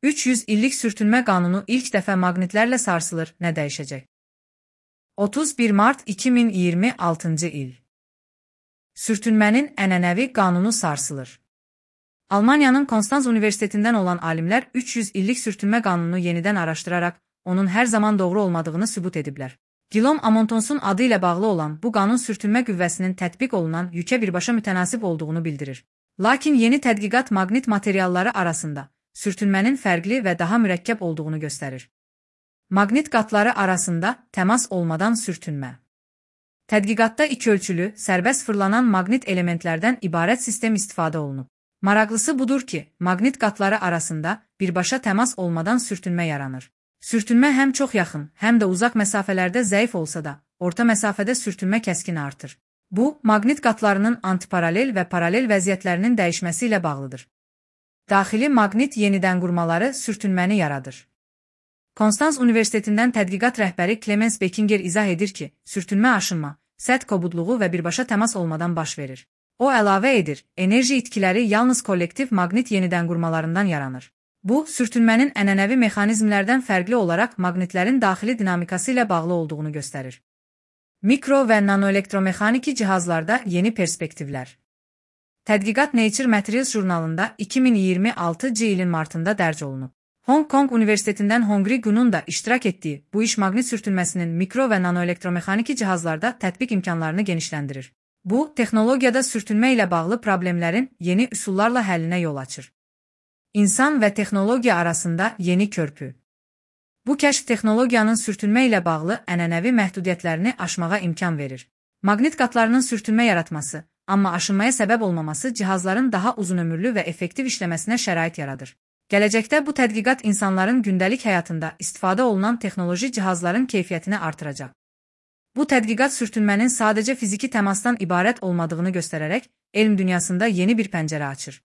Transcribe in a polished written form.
300 illik sürtünmə qanunu ilk dəfə maqnitlərlə sarsılır, nə dəyişəcək? 31 mart 2026-cı il. Sürtünmənin ənənəvi qanunu sarsılır. Almaniyanın Konstanz Universitetindən olan alimlər 300 illik sürtünmə qanununu yenidən araşdıraraq, onun hər zaman doğru olmadığını sübut ediblər. Guillaume Amontonsun adı ilə bağlı olan bu qanun sürtünmə qüvvəsinin tətbiq olunan yükə birbaşa mütənasib olduğunu bildirir. Lakin yeni tədqiqat maqnit materialları arasında sürtünmənin fərqli və daha mürəkkəb olduğunu göstərir. Maqnit qatları arasında təmas olmadan sürtünmə. Tədqiqatda ikiölçülü, sərbəst fırlanan maqnit elementlərdən ibarət sistem istifadə olunub. Maraqlısı budur ki, maqnit qatları arasında birbaşa təmas olmadan sürtünmə yaranır. Sürtünmə həm çox yaxın, həm də uzaq məsafələrdə zəif olsa da, orta məsafədə sürtünmə kəskin artır. Bu, maqnit qatlarının antiparalel və paralel vəziyyətlərinin dəyişməsi ilə bağlıdır. Daxili maqnit yenidən qurmaları sürtünməni yaradır. Konstanz Universitetindən tədqiqat rəhbəri Clemens Beckinger izah edir ki, sürtünmə aşınma, səth kobudluğu və birbaşa təmas olmadan baş verir. O əlavə edir, enerji itkiləri yalnız kollektiv maqnit yenidən qurmalarından yaranır. Bu, sürtünmənin ənənəvi mexanizmlərdən fərqli olaraq maqnitlərin daxili dinamikası ilə bağlı olduğunu göstərir. Mikro və nanoelektromexaniki cihazlarda yeni perspektivlər. Tədqiqat Nature Materials jurnalında 2026-cı ilin martında dərc olunub. Hong Kong Universitetindən Hongri Gunun da iştirak etdiyi bu iş maqnit sürtünməsinin mikro və nanoelektromexaniki cihazlarda tətbiq imkanlarını genişləndirir. Bu, texnologiyada sürtünmə ilə bağlı problemlərin yeni üsullarla həllinə yol açır. İnsan və texnologiya arasında yeni körpü. Bu kəşf texnologiyanın sürtünmə ilə bağlı ənənəvi məhdudiyyətlərini aşmağa imkan verir. Maqnit qatlarının sürtünmə yaratması, amma aşınmaya səbəb olmaması cihazların daha uzunömürlü və effektiv işləməsinə şərait yaradır. Gələcəkdə bu tədqiqat insanların gündəlik həyatında istifadə olunan texnoloji cihazların keyfiyyətini artıracaq. Bu tədqiqat sürtünmənin sadəcə fiziki təmasdan ibarət olmadığını göstərərək, elm dünyasında yeni bir pəncərə açır.